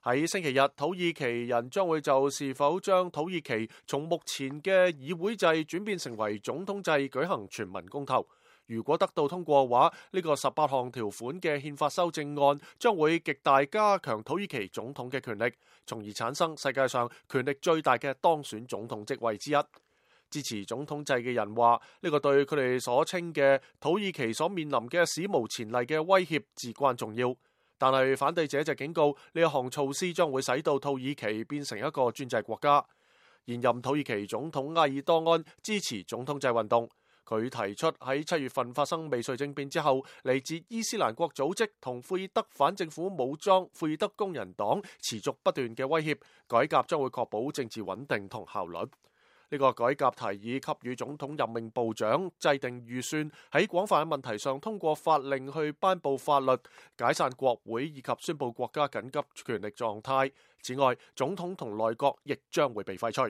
喺星期日，土耳其人將會就是否將土耳其從目前嘅議會制轉變成為總統制舉行全民公投。如果得到通過嘅話，呢個18項條款嘅憲法修正案將會極大加強土耳其總統嘅權力，從而產生世界上權力最大嘅當選總統職位之一。支持總統制嘅人話，呢個對佢哋所稱嘅土耳其所面臨嘅史無前例嘅威脅至關重要。但係反對者就警告，呢一項措施將會使到土耳其變成一個專制國家。現任土耳其總統埃爾多安支持總統制運動，佢提出喺7月份發生未遂政變之後，嚟自伊斯蘭國組織同庫爾德反政府武裝庫爾德工人黨持續不斷嘅威脅，改革將會確保政治穩定同效率。呢個改革提議給予總統任命部長、制定預算、喺廣泛嘅問題上通過法令去頒布法律、解散國會以及宣布國家緊急權力狀態。此外，總統同內閣亦將會被廢除。